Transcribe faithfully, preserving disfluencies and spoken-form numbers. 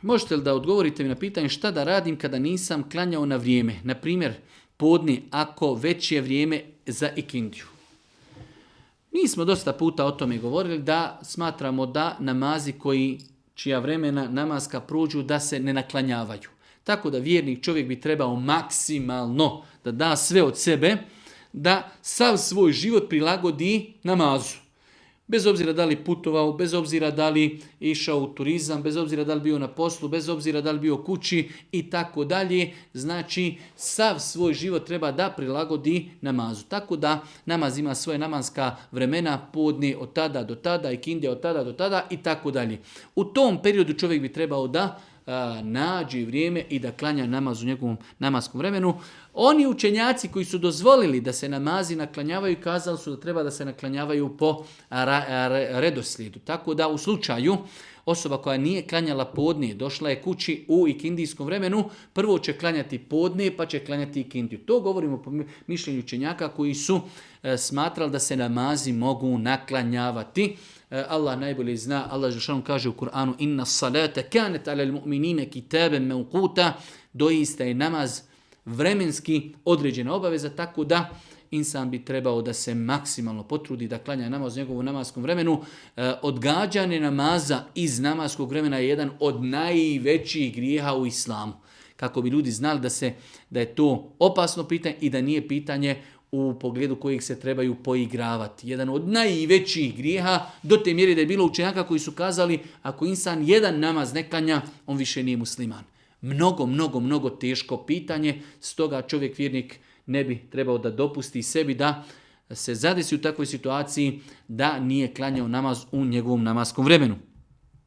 možete li da odgovorite mi na pitanje šta da radim kada nisam klanjao na vrijeme? Na primjer, podne ako već je vrijeme za ikindiju. Mi smo dosta puta o tome govorili da smatramo da namazi koji čija vremena namaska prođu da se ne naklanjavaju. Tako da vjernik čovjek bi trebao maksimalno da da sve od sebe, da sav svoj život prilagodi namazu. Bez obzira da li putovao, bez obzira da li išao u turizam, bez obzira da li bio na poslu, bez obzira da li bio kući i tako dalje. Znači, sav svoj život treba da prilagodi namazu. Tako da namaz ima svoje namanska vremena, podne od tada do tada, ikindija od tada do tada i tako dalje. U tom periodu čovjek bi trebao da a, nađe vrijeme i da klanja namaz u njegovom namaskom vremenu. Oni učenjaci koji su dozvolili da se namazi naklanjavaju, kazali su da treba da se naklanjavaju po redoslijedu. Tako da u slučaju osoba koja nije klanjala podne, došla je kući u ikindijskom vremenu, prvo će klanjati podne pa će klanjati ikindiju. To govorimo po mišljenju učenjaka koji su e, smatrali da se namazi mogu naklanjavati. E, Allah najbolje zna, Allah dželle kaže u Kur'anu: "Inna salata kanat alal mu'minina kitaban mawquta", doista je namaz vremenski određena obaveza, tako da insan bi trebao da se maksimalno potrudi da klanja namaz u njegovom namaskom vremenu. E, odgađanje namaza iz namaskog vremena je jedan od najvećih grijeha u islamu. Kako bi ljudi znali da, se, da je to opasno pitanje i da nije pitanje u pogledu kojih se trebaju poigravati. Jedan od najvećih grijeha, do te mjere da je bilo učenjaka koji su kazali ako insan jedan namaz ne klanja, on više nije musliman. Mnogo, mnogo, mnogo teško pitanje, stoga čovjek vjernik ne bi trebao da dopusti sebi da se zadesi u takvoj situaciji da nije klanjao namaz u njegovom namaskom vremenu.